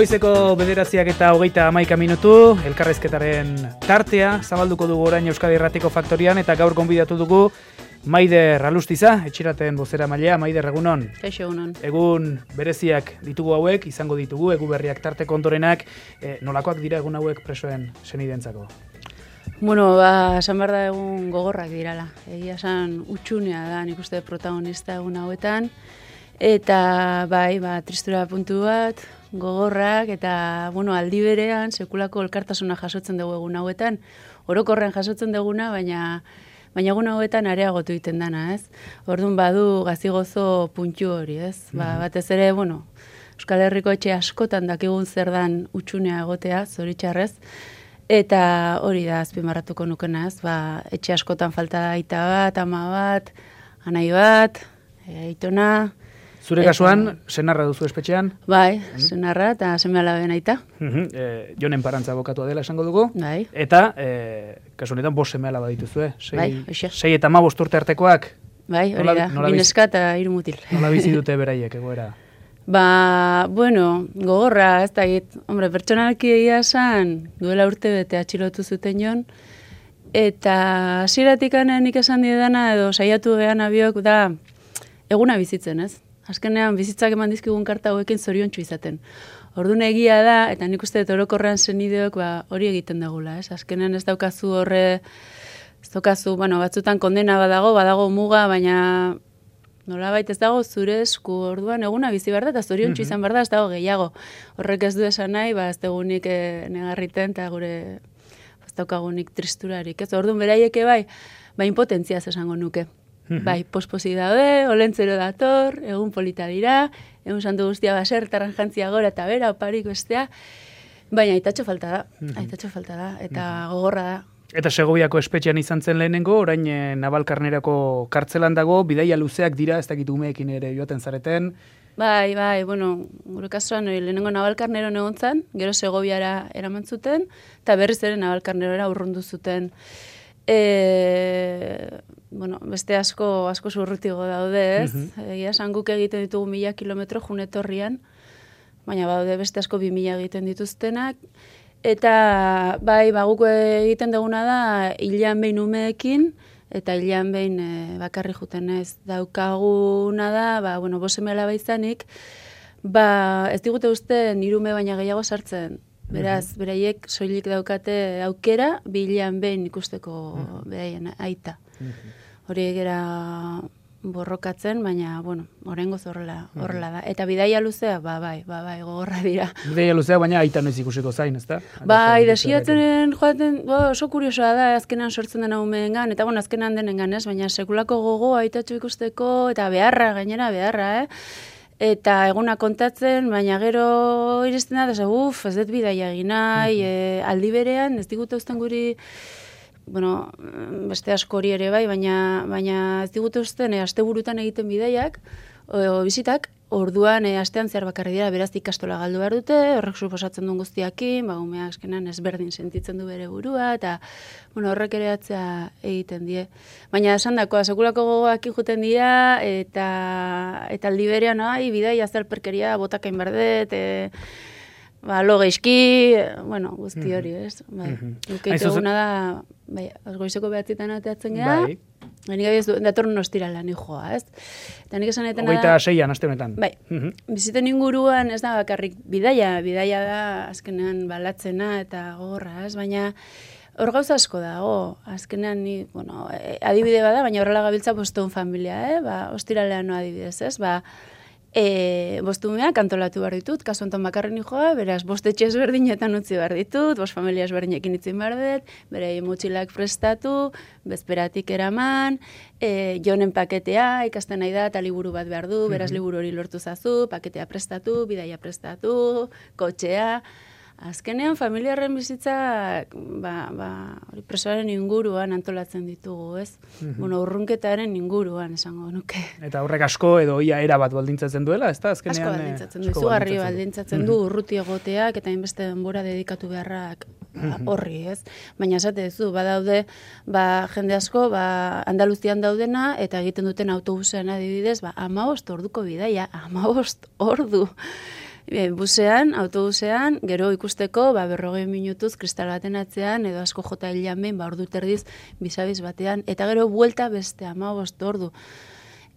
Goizeko 9:31 minutu, elkarrezketaren tartea, zabalduko dugu orain Euskadi Irratiko Faktorian, eta gaur gonbidatu dugu Maider Alustiza, etxiraten bozera mailea. Maider, egunon. Kaixo, egunon. Egun bereziak ditugu hauek, izango ditugu, egu berriak tarteko ondorenak, nolakoak dira egun hauek presoen senidentzako? Bueno, esan behar da egun gogorrak dirala. Egia esan utxunea da, nik uste protagonista egun hauetan. Eta tristura puntu bat, gogorrak, eta aldi berean sekulako elkartasuna jasotzen dugu egun hauetan. Orokorrean jasotzen duguna, baina egun hauetan areagotu egiten dana, ez? Orduan badu gazigozo puntu hori, ez? Batez ere, Euskal Herriko etxe askotan dakigun zer dan utxunea egotea, zoritxarrez. Eta hori da azpimarratuko nukena, ez? Etxe askotan falta da aita bat, ama bat, anai bat, aitona. Zure kasuan, senarra duzu espetxean? Bai, senarra eta seme-alaben aita. Jonen Parantza abokatua dela esango dugu. Bai. Eta, kasu honetan, 5 seme-alaba dituzue. Bai, hoxe. 6 eta 15 urte artekoak? Bai, hori da, bineska eta 3 mutil. Nola bizi dute beraiek, egoera? Gogorra, ez da git. Pertsonalki egia esan, duela urte bete atxilotu zuten jon, eta hasieratik nik esan didana, edo saiatu gehan abiok, da eguna bizitzen, ez? Azkenean bizitzak eman dizkigun karta hauekin zoriontsu izaten. Orduan egia da, eta nik uste orokorrean senideok hori egiten dugula, ez? Azkenean ez daukazu batzutan kondena badago muga, baina nolabait ez dago zure esku, orduan eguna bizi behar da, eta zoriontsu izan behar da, ez dago gehiago. Horrek ez du esan nahi, ez dugunik negarriten, eta gure ez daukagunik tristurarik, ez? Orduan beraieke impotentziaz esango nuke. Posposi daude, olentzero dator, egun polita dira, egun santu guztia baser, tarranjantzia gora eta bera, oparik bestea, baina aitatxo falta da, eta gogorra da. Eta Segoviako espetxean izan zen lehenengo, orain Navalkarnerako kartzelan dago, bidaia luzeak dira, ez dakit umeekin ere joaten zareten. Gure kasuan lehenengo Navalkarnero egon zen, gero Segoviara eraman zuten, eta berriz ere Navalkarnerora urrundu zuten. Beste asko zurrutigo daude, ez? Egia esan guk egiten ditugu 1000 kilometro junetorrian, baina daude beste asko 2000 egiten dituztenak, eta guk egiten duguna da hilean behin umeekin, eta hilean behin bakarri juten ez daukaguna da, 5 seme-alaba izanik, ez digute uste nirume baina gehiago sartzen. Beraz, beraiek soilik daukate aukera, bilean behin ikusteko beraien aita. Hori egera borrokatzen, baina, oraingoz horrela da. Eta bidaia luzea, gogorra dira. Bidaia luzea, baina aita noiz ikusiko zain, ez da? Desiatzen joaten, oso kuriosoa da, azkenan sortzen dena umeengan, eta azkenan denengan, ez? Baina sekulako gogo aitatxo ikusteko, eta beharra, eta eguna kontatzen, baina gero iristen da, ez dut bidaia egin nahi, aldi berean, ez digute uzten guri, beste asko hori ere baina ez digute uzten, asteburutan egiten bidaiak, bizitak, orduan astean zehar bakarri dira, beraz ikastola galdu behar dute, horrek suposatzen duen guztiakin, umeak azkenan ezberdin sentitzen du bere burua, eta horrek ere atzea egiten die. Baina esan dakoa, sekulako gogoak juten dira, eta aldi berean, bidaia zerperkeria botakain berdet, lo geizki, guzti hori, ez? Nukeite eguna da, goizeko 9:00 ateatzen gara, nik ez datorren ostirala nik joa, ez? Eta nik esan etena da... 26an, aste honetan. Biziten inguruan ez da bakarrik bidaia da azkenean balatzena eta gogorra, ez? Baina hor gauza asko dago, azkenean ni, adibide bada, baina horrela gabiltza bostehun familia, ostiralean no adibidez, ez? Bostumeak antolatu behar ditut, kasu honetan bakarren joa, beraz, 5 etxe ezberdinetan utzi behar ditut, 5 familia ezberdinekin itzin behar dut, bere motxilak prestatu, bezperatik eraman, jonen paketea, ikasten nahi da, eta liburu bat behar du, beraz liburu hori lortu zazu, paketea prestatu, bidaia prestatu, kotxea. Azkenean, familiarren bizitzak, presoaren inguruan antolatzen ditugu, ez? Urrunketaren inguruan, esango nuke. Eta horrek asko edo ia era bat baldintzatzen duela, ez da? Asko baldintzatzen du, izugarri baldintzatzen du, urruti egoteak, eta hainbeste denbora dedikatu beharrak horri, ez? Baina esate duzu, badaude, jende asko, Andaluzian daudena, eta egiten duten autobusean adibidez, 15 orduko bidaia, 15 ordu. busean, autobusean, gero ikusteko, 40 minutuz kristal baten atzean, edo asko jota hilean behin, ordu terdiz, bizabiz batean, eta gero buelta beste 15 ordu.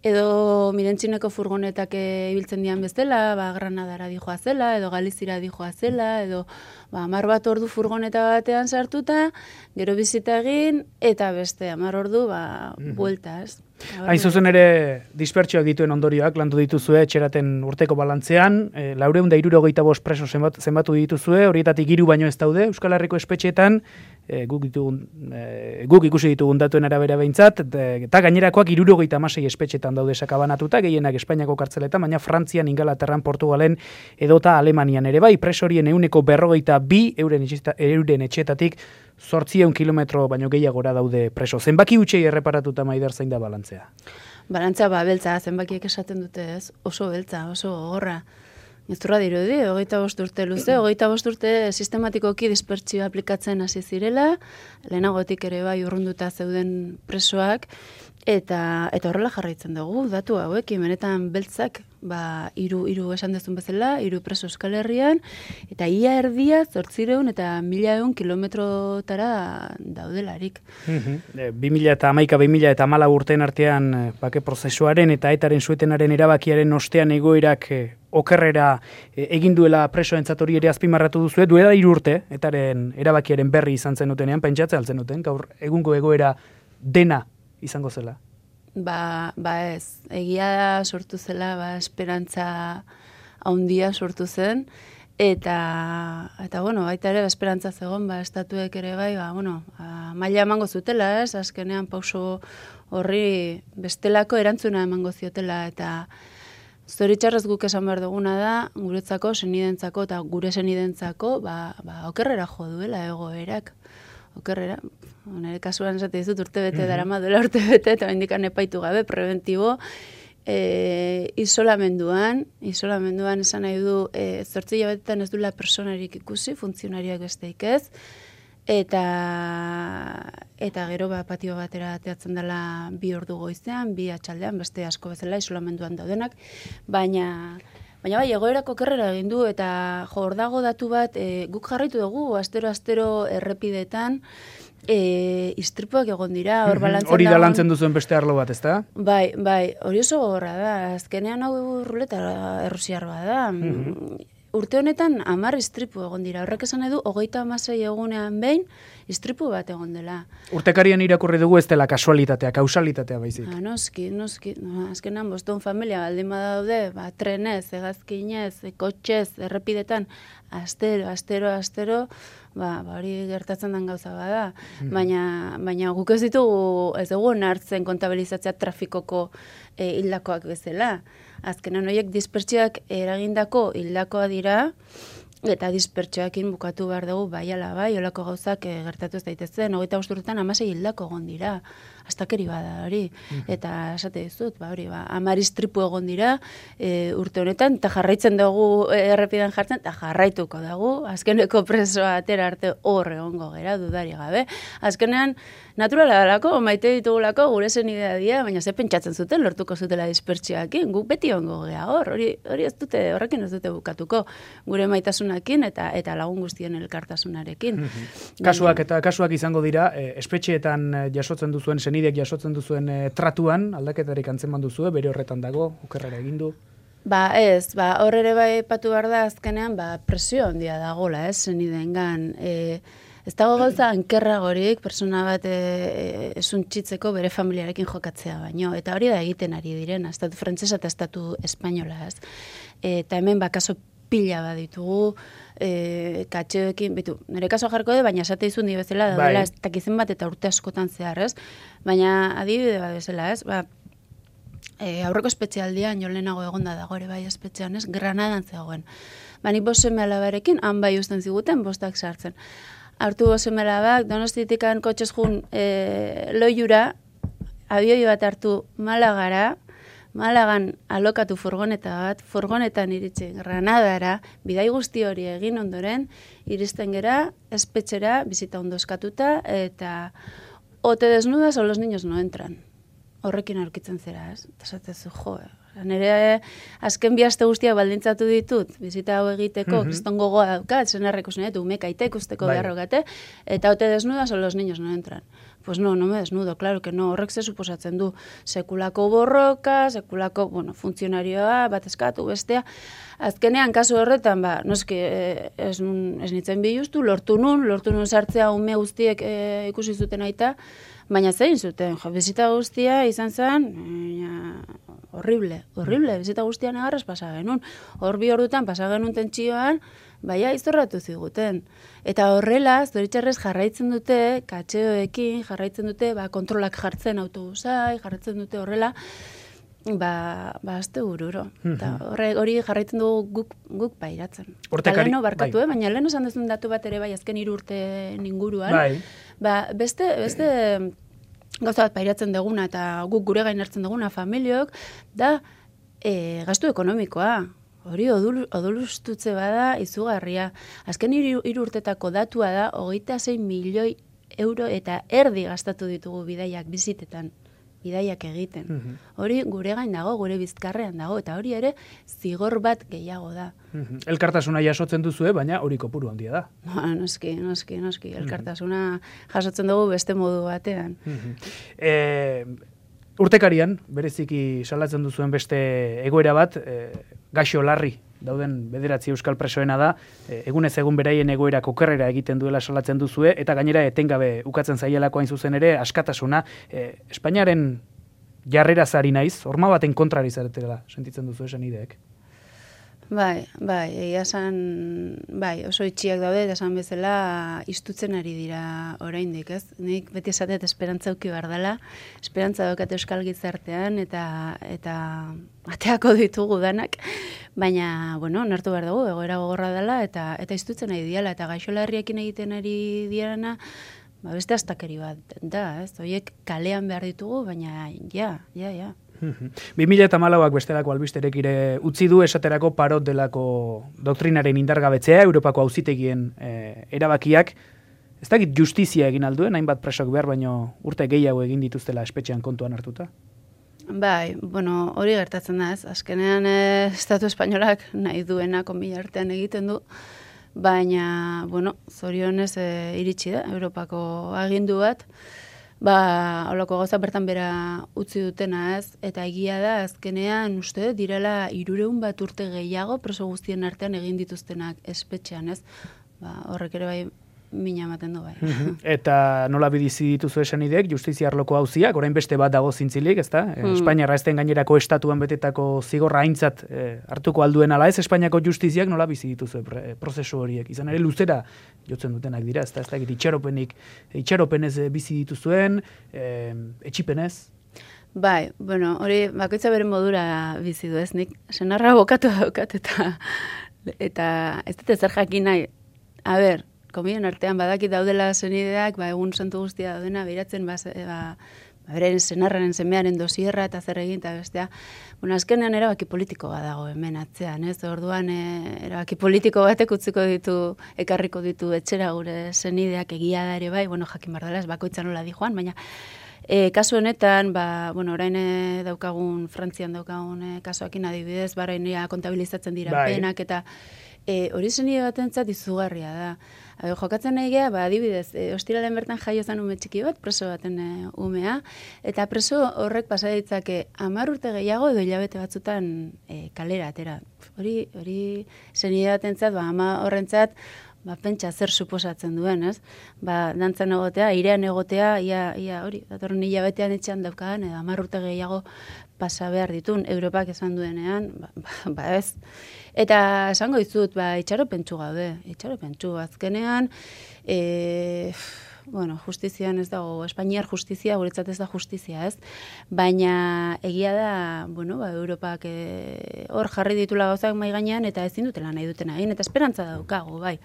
Edo mirentzineko furgonetak ibiltzen dian bezala, Granadara dijoazela, edo Galizira dijoazela, edo 10 ordu furgoneta batean sartuta, gero bizita egin, eta beste 10 ordu buelta, ez? Hain zuzen ere, dispertsioak dituen ondorioak, landu dituzue, etxeraten urteko balantzean, 465 preso zenbatu dituzue, horietatik 3 baino ez daude, Euskal Herriko espetxeetan, guk ikusi ditugun datuen arabera behintzat, eta gainerakoak 76 espetxetan daude sakabanatuta, gehienak Espainiako kartzeletan, baina Frantzian, Ingalaterran, Portugalen edota Alemanian ere bai, presorien 152 euren etxetatik 800 kilometro baino gehiagora daude preso. Zenbaki utxei erreparatuta Maider zein da balantzea? Balantzea beltza, zenbakiek esaten dute ez, oso beltza, oso gogorra. Ezturra dirudi, 25 urte luze, 25 urte sistematikoki dispertsioa aplikatzen hasi zirela, lehenagotik ere bai urrunduta zeuden presoak, eta horrela jarraitzen dugu, datu hauekin, benetan beltzak, 3 esan dezun bezala, 3 preso Euskal Herrian, eta ia erdia 800 eta 1.100 kilometrotara daudelarik. 2011-2014 urteen artean bake prozesuaren eta etaren suetenaren erabakiaren ostean egoerak okerrera egin duela presoentzat hori ere azpimarratu duzu, duela 3 urte, etaren erabakiaren berri izan zendutenean, pentsatzen altzen duten, gaur egungo egoera dena izango zela? Ez, egia sortu zela, esperantza haundia sortu zen, eta baita ere, esperantza zegoen, estatuek ere bai, maila emango zutela, ez, azkenean pauso horri bestelako erantzuna emango ziotela, eta zoritxarrez guk esan behar duguna da, guretzako, senidentzako eta gure senidentzako, okerrera jo duela egoerak. Okerrera, nire kasuan esate dizut urtebete darama duela urtebete, eta indikan epaitu gabe, preventibo, isolamenduan esan nahi du, 8 hilabetetan ez duela personarik ikusi, funtzionariak besteik ez, eta gero patio batera ateatzen dela 2 ordu goizean, 2 atxaldean, beste asko bezala isolamenduan daudenak, baina bai, egoerako okerrera egin du, eta hor dago datu bat, guk jarraitu dugu, astero errepidetan, istripuak egon dira, hor balantzen hori da lantzen duzuen beste arlo bat, ezta? Bai, hori oso gogorra da, azkenean hau ruleta errusiar da. Urte honetan 10 istripu egon dira, horrek esan edu, 36 egunean behin, istripu bat egon dela. Urtekarian irakurri dugu ez dela kasualitatea, kausalitatea baizik. Noski, azkenean boston familia baldin badaude, trenez, hegazkinez, kotxez, errepidetan, astero, hori gertatzen den gauza bada. Baina guk ez dugu hartzen kontabilizatzea trafikoko hildakoak bezala. Azkenan horiek dispertsioak eragindako hildakoa dira, eta dispertsioakin bukatu behar dugu bai, olako gauzak gertatu ez daitezen, 25 urtetan 16 hildako egon dira, astakeri bada hori, eta esate dizut, 10 istripu egon dira urte honetan, eta jarraitzen dugu errepidan jartzen, eta jarraituko dugu, azkeneko presoa atera arte hor egongo gera, dudari gabe. Azkenean, naturala dalako, maite ditugulako, gure zen idea dira, baina ze pentsatzen zuten, lortuko zutela dispertsioakin, guk beti egongo gera hor, horrekin ez dute bukatuko, gure maitasunakin eta lagun guztien elkartasunarekin. Kasuak izango dira, espetxeetan jasotzen duzuen, senideak jasotzen duzuen tratuan, aldaketarik antzeman duzue, bere horretan dago, okerrera egin du? Hor ere bai patu behar da azkenean, presio handia dagoela, senideengan, ez dago gauza ankerragorik persona bat esuntzitzeko bere familiarekin jokatzea baino. Eta hori da egiten ari diren, estatu frantsesa eta estatu espainola. Eta hemen kaso pila bat ditugu, katxeoekin, nire kaso jarko baina esate izun bezala, daudela ez dakizen bat eta urte askotan zehar, ez? Baina adibide bat bezala, ez? Aurreko espetxealdian, jo lehenago egonda dago ere bai espetxean, ez? Granadan zegoen. Nik 5 seme alabarekin, han bai usten ziguten, 5 sartzen. Hartu 5 seme alabak, Donostitikan kotxez jun loiura, abioi bat hartu Malagan alokatu furgoneta bat, furgonetan iritsi Granadara, bidai guzti hori egin ondoren, iristen gera, espetxera, bizita ondo eskatuta, eta o te desnudas o los niños no entran. Horrekin aurkitzen zera, ez? Eta esatezu, nire azken bi aste guztiak baldintzatu ditut, bizita hau egiteko, kriston gogoa daukat, senarreko zenetu, umekaite ikusteko beharrokate, eta ote desnudas o los niños no entran. Pues no me desnudo, claro que no, horrek ze suposatzen du, sekulako borroka, sekulako, funtzionarioa, bat eskatu, bestea, azkenean, kasu horretan, noski, ez nintzen bilustu, lortu nun sartzea ume guztiek ikusi zuten aita, baina zein zuten, bizita guztia izan zen, horrible, bizita guztia negarraz pasa genuen. Hor 2 ordutan pasa genuen tentsioan, baina izorratu ziguten. Eta horrela, zoritxarrez jarraitzen dute, katxeoekin jarraitzen dute, kontrolak jartzen autobusai, jarraitzen dute horrela, azte bururo. Hori jarraitzen dugu guk pairatzen. Eta leheno barkatu, baina leheno esan duzun datu bat ere azken 3 urte inguruan. Beste gauza bat pairatzen duguna eta guk gure gain hartzen duguna familiok, da gastu ekonomikoa. Hori odolustutze bada izugarria. Azken 3 urtetako datua da 26 milioi euro eta erdi gastatu ditugu bidaiak bizitetan. Bidaiak egiten. Hori gure gain dago, gure bizkarrean dago, eta hori ere zigor bat gehiago da. Elkartasuna jasotzen duzue, baina hori kopuru handia da. Noski. Elkartasuna jasotzen dugu beste modu batean. Urtekarian, bereziki salatzen duzuen beste egoera bat, gaixo larri dauden 9 euskal presoena da, egunez egun beraien egoerak okerrera egiten duela salatzen duzue, eta gainera etengabe ukatzen zaielako hain zuzen ere, askatasuna, Espainiaren jarrera zari naiz, horma baten kontrari zaretela, sentitzen duzu esan ideek? Bai, egia esan, oso itxiak daude, eta esan bezala istutzen ari dira oraindik, ez? Nik beti esatet esperantza uki behar dela, esperantza daukat euskal gizartean, eta ateako ditugu danak, baina, nartu behar dugu, egoera gogorra dela, eta istutzen ari diala, eta gaixolarriekin egiten ari diarana, beste astakeri bat da, ez? Horiek kalean behar ditugu, baina, ja. 2014ak bestelako albisterek ire utzi du esaterako parot delako doktrinaren indargabetzea, Europako auzitegien erabakiak. Ez dakit justizia egin alduen, hainbat presok behar, baino urte gehiago egin dituztela espetxean kontuan hartuta? Hori gertatzen da ez. Azkenean Estatu Espainolak nahi duena konbila artean egiten du, baina, zorionez iritsi da, Europako agindu bat, holako gauza bertan bera utzi dutena ez, eta egia da azkenean uste direla 300 bat urte gehiago preso guztien artean egin dituztenak espetxean ez, horrek ere bai mina ematen du bai. Eta nola bidizi dituzu esan ideek, justizia arloko auziak, orain beste bat dago zintzilik, ezta? Espainiarra ezten gainerako estatuan betetako zigorra aintzat hartuko alduen ala ez, Espainiako justiziak nola bizi dituzu prozesu horiek? Izan ere luzera jotzen dutenak dira, ezta? Ez da itxaropenez bizi dituzuen, etxipenez? Hori bakoitza bere modura bizi du ez, nik senarra bokatu daukat eta ez dut zer jakin nahi. Komien artean badakit daudela zenideak, egun santu guztia daudena, behiratzen, beren senarraren semearen dosierra eta zer egin, eta bestea. Azkenean erabaki politikoa dago hemen atzean, ez? Orduan erabaki politiko batek utziko ditu, ekarriko ditu etxera gure zenideak egia da ere bai, jakin bardala, ez bakoitzan nola di joan, baina kasu honetan, orain daukagun, Frantzian daukagun kasuakin adibidez, barainia kontabilizatzen dira penak, eta hori zenide batentzat izugarria da. Jokatzen nahi geha, adibidez, ostiralen bertan jaio zen ume txiki bat, preso baten umea, eta preso horrek pasa ditzake 10 urte gehiago edo hilabete batzutan kalera atera. Hori zenide batentzat, ama horrentzat, pentsa zer suposatzen duen, ez? Dantzan egotea, irean egotea, ia hori, datorren hilabetean etxean daukadan, edo 10 urte gehiago pasa behar ditun, Europak esan duenean, ez. Eta esango dizut, itxaropentsu gaude, azkenean, justizian ez dago, Espainiar justizia, guretzat ez da justizia, ez? Baina egia da, Europak hor jarri ditula gauzak mai gainean eta ezin dutela nahi dutena egin, eta esperantza daukagu, bai.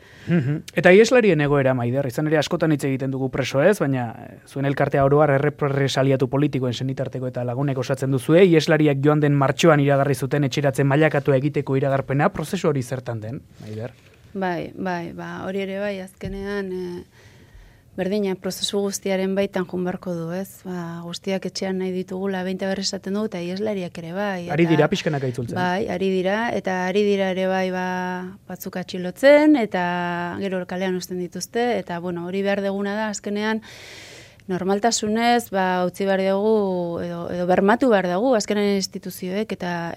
Eta ieslarien egoera, Maider, izan ere askotan hitz egiten dugu preso ez, baina zuen elkartea oroar errepresaliatu politikoen senitarteko eta lagunek osatzen duzue, ieslariak joan den martxoan iragarri zuten etxeratzen mailakatu egiteko iragarpena, prozesu hori zertan den, Maider? Bai, hori ere bai, azkenean Berdina, prozesu guztiaren baitan junbarko du, ez? Guztiak etxean nahi ditugula, behinta berri esaten du, eta ieslariak ere bai. Ari dira pixkanak aitzultzen. Bai, ari dira ere bai batzuk atxilotzen, eta gero kalean uzten dituzte, eta bueno, hori behar deguna da, azkenean, normaltasunez, utzi behar dugu, edo bermatu behar dugu, azkenean instituzioek eta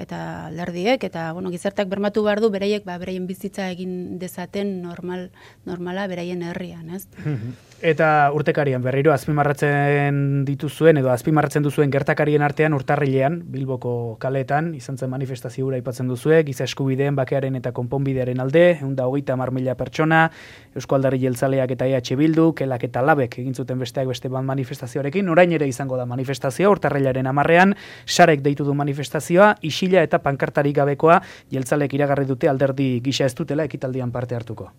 alderdiek, eta bueno, gizartak bermatu behar du, beraiek beraien bizitza egin dezaten normala beraien herrian, ez? Eta urtekarian berriro azpimarratzen dituzuen edo azpimarratzen duzuen gertakarien artean urtarrilean Bilboko kaleetan izan zen manifestazio hura aipatzen duzue, giza eskubideen bakearen eta konponbidearen alde, 130.000 pertsona, Eusko Alderdi Jeltzaleak eta EH Bildu, Kelak eta Labek egin zuten besteak beste manifestazioarekin, orain ere izango da manifestazioa urtarrilaren 10ean, Sarek deitu du manifestazioa, isila eta pankartarik gabekoa, Jeltzalek iragarri dute alderdi gisa ez dutela ekitaldian parte hartuko.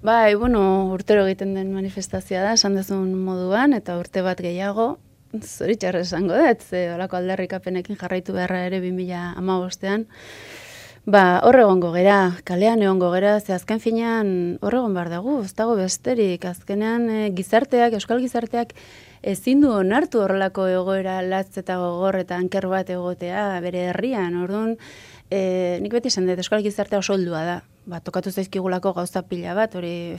Bai, bueno, urtero egiten den manifestazioa da, esan dezun moduan, eta urte bat gehiago, zoritxarra esango dut, ze olako aldarrikapenekin jarraitu beharra ere 2015ean, hor egongo gera, kalean egongo gera, ze azken finean hor egon behar dugu, ez dago besterik, azkenean euskal gizarteak ezin du onartu horrelako egoera latz eta gogor eta anker bat egotea bere herrian, orduan, nik beti esan dut, euskal gizartea oso oldua da, tokatu zaizkigulako gauza pila bat, hori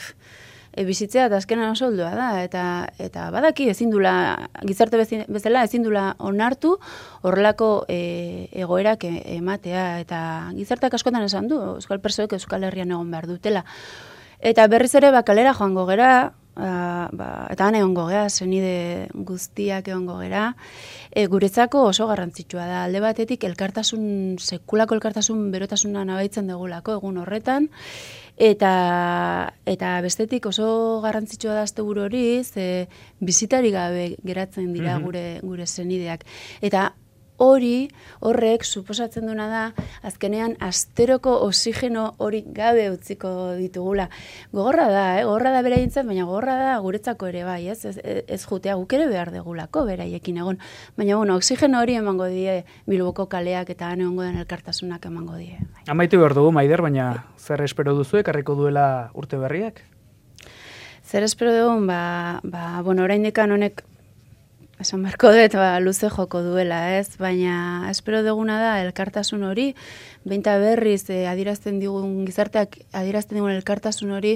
bizitzea eta azkenan oso oldua da, eta badaki ezin dula, gizarte bezala ezin dula onartu horrelako egoerak ematea, eta gizarteak askotan esan du, euskal pertsoek euskal herrian egon behar dutela. Eta berriz ere kalera joango gera, eta han egongo gera, senide guztiak egongo gera, guretzako oso garrantzitsua da. Alde batetik sekulako elkartasun berotasuna nabaitzen dugulako egun horretan, eta bestetik oso garrantzitsua da asteburu hori, bizitari gabe geratzen dira gure senideak. Eta horrek suposatzen duna da, azkenean asteroko oxigeno hori gabe utziko ditugula. Gogorra da beraientzat, baina gogorra da guretzako ere bai, ez jutea guk ere behar degulako beraiekin egon. Baina, bueno, oxigeno hori emango die Bilboko kaleak eta han egongo den elkartasunak emango die. Amaitu behar dugu, Maider, baina zer espero duzu, ekarriko duela urte berriak? Zer espero dugun, bueno, oraindikan honek esan beharko dut, luze joko duela, ez? Baina espero duguna da elkartasun hori, behinta berriz adierazten digun gizarteak adierazten digun elkartasun hori,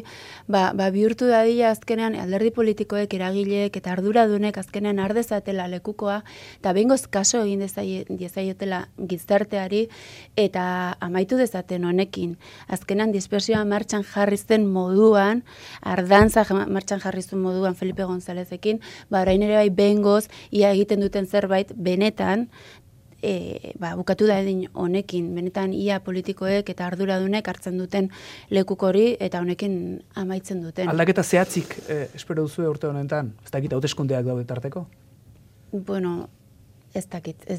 bihurtu dadila azkenean alderdi politikoek, eragileek eta arduradunek azkenean ardezatela lekukoa, eta behingoz kaso egin diezaiotela gizarteari, eta amaitu dezaten honekin. Azkenean dispersioa martxan jarrizten moduan, ardantza martxan jarrizten moduan Felipe Gonzalezekin, orain ere bai behingoz, ia egiten duten zerbait benetan, bukatu da edin honekin, benetan ia politikoek eta arduradunek hartzen duten lekuko hori eta honekin amaitzen duten. Aldaketa zehatzik espero duzu urte honetan? Ez dakit hauteskundeak daude tarteko? Bueno, ez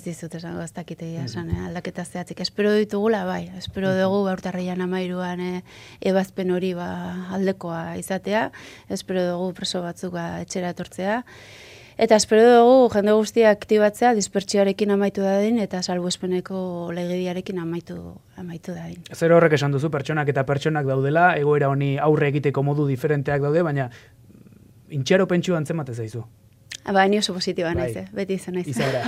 dizut esango, ez dakit egia esan, aldaketa zehatzik. Espero ditugula, bai, espero dugu urtarrian 13an ebazpen hori aldekoa izatea, espero dugu preso batzuk etxera etortzea, eta espero dugu jende guztia aktibatzea dispertsioarekin amaitu dadin eta salbuespeneko legediarekin amaitu dadin. Zer horrek esan duzu, pertsonak eta pertsonak daudela, egoera honi aurre egiteko modu diferenteak daude, baina intxero pentsua antzemate zaizu. Ni oso positiba naiz, beti izan naiz. Izaera.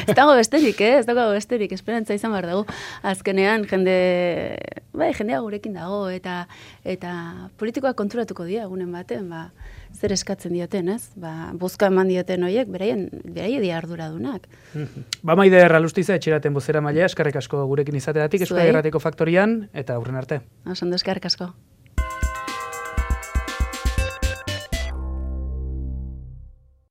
Ez dago besterik, esperantza izan behar dugu. Azkenean, jendea gurekin dago, eta politikoak konturatuko dira egunen baten, zer eskatzen dioten, ez? Bozka eman dioten horiek, beraie arduradunak. Maider Alustiza, etxeraten bozera mailea, eskerrik asko gurekin izateatik, Euskadi Irratiko Faktorian, eta aurren arte. Oso ondo, eskerrik asko.